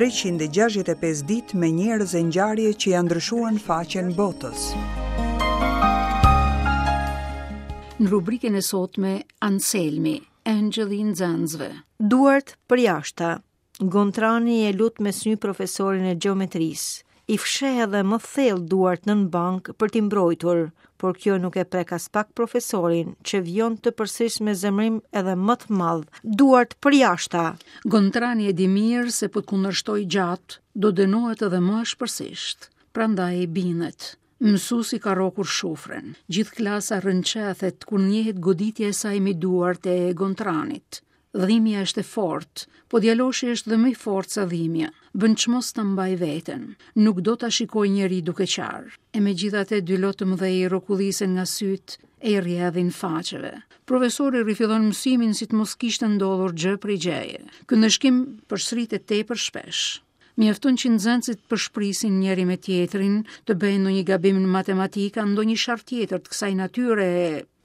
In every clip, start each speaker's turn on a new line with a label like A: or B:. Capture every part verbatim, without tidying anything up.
A: treqind e gjashtëdhjetë e pesë ditë me njerëz e ngjarje që janë ndryshuar faqen botës.
B: Në rubrikën e sotme, Anselmi, Engjëlli i nxënësve.
C: Duart përjashta. Gontrani e lut me sy profesorin e gjeometrisë. I fsheh edhe më thellë duart nën bank për t'i mbrojtur, por kjo nuk e prek as pak profesorin, që vijon të përsëris me zemrim edhe më të madh. Duart përjashta.
B: Gontrani e di mirë se po të kundërshtoj gjatë, do dënohet edhe më ashpërsisht. Prandaj bindet. Mësuesi ka rrokur shufrën. Gjithë klasa rrënqethet kur ndjehet goditja e saj me duart e Gontranit. Dhimbja është e fortë, po djaloshi është dhe më i fortë sa dhimbja. Bën çmos ta mbaj veten. Nuk do ta shikoj njeri duke qarë. E megjithatë dy lot të mëdhej rrokullisen nga syt e i rrjedhin faqeve. Profesori rifillon mësimin si të mos kishte ndodhur gjë prej gjëje. Ky ndëshkim përsëritet tepër shpesh. Mjafton që nxënësit përshprisin njëri me tjetrin, të bëjnë ndonjë gabim në matematika, ndonjë sharr tjetër të kësaj natyre,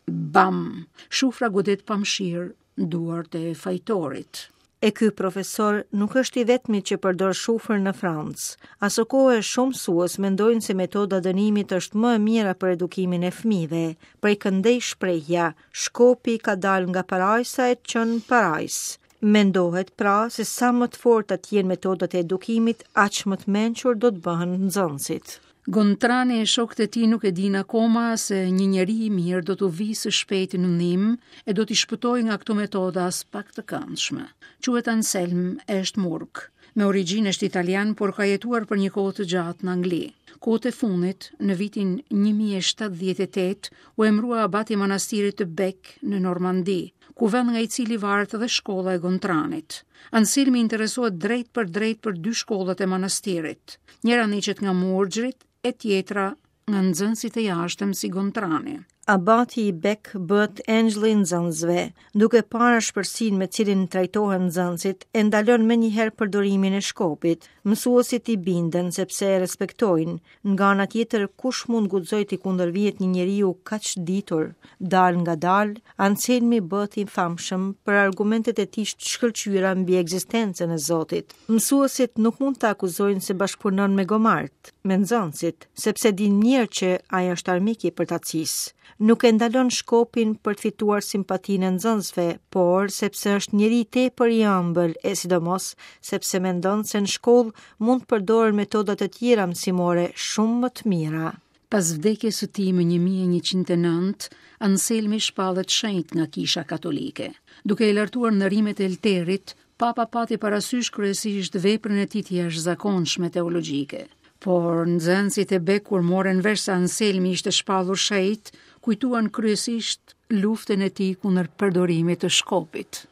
B: bam, shufra godet pa mëshirë duart e fajtorit.
C: E ky profesor nuk është i vetmi që përdor shufrën në Francë. Asokohe shumë mësues mendojnë se metoda dënimit është më e mira për edukimin e fëmijëve. Prej këndej shprehja, shkopi ka dalë nga parajsa e çon parajs. Mendohet pra se sa më të forta të jenë metodat e edukimit, aq më të mençur do të bëhen nxënësit.
B: Gontrani e shokët e tij nuk e dinë akoma se një njeri i mirë do t'u vijë së shpejti në ndihmë e do t'i shpëtojë nga këto metoda as pak të këndshme. Quhet Anselm e është murg. Me origjinë është italian, por ka jetuar për një kohë të gjatë në Angli. Kohët e fundit, në vitin një mijë e shtatëdhjetë e tetë, u emrua abati i manastirit të Bec në Normandi, ku vend nga i cili varet edhe shkolla e Gontranit. Anselmi interesohet drejt për drejt për dy shkollat e manastirit. Njëra ndiqet nga murgjrit e tjetra nga nxënësit e jashtëm si Gontrani.
C: Abati i Bec bëhet engjëlli i nxënësve, duke parë ashpërsinë me cilin trajtohen nxënësit, e ndalon menjëherë përdorimin e shkopit. Mësuesit i binden sepse e respektojnë. Nga ana tjetër, kush mund guxoj t'i kundërvihet një njeriu kaq ditur? Dal nga dal, Anselmi bëhet i famshëm për argumentet e tij të shkëlqyera mbi ekzistencën e Zotit. Mësuesit nuk mund ta akuzojnë se bashkëpunon me gomart, me nxënësit, sepse dinë mirë që ai është armik i përtacisë. Nuk e ndalon shkopin për të fituar simpatinë e nxënësve, por sepse është njeri tepër i ëmbël e sidomos sepse mendon se në shkollë mund të përdoren metoda të tjera mësimore shumë më të mira.
B: Pas vdekjes së tij më një mijë e njëqind e nëntë, Anselmi shpallet shenjt nga Kisha Katolike. Duke e lartuar nderimet e Elterit, Papa pati parasysh kryesisht veprën e tij të jashtëzakonshme teologjike. Por nxënësit e Bec kur morën vesh se Anselmi ishte shpallur shenjt, kujtuan kryesisht luftën e tij kundër përdorimit të shkopit.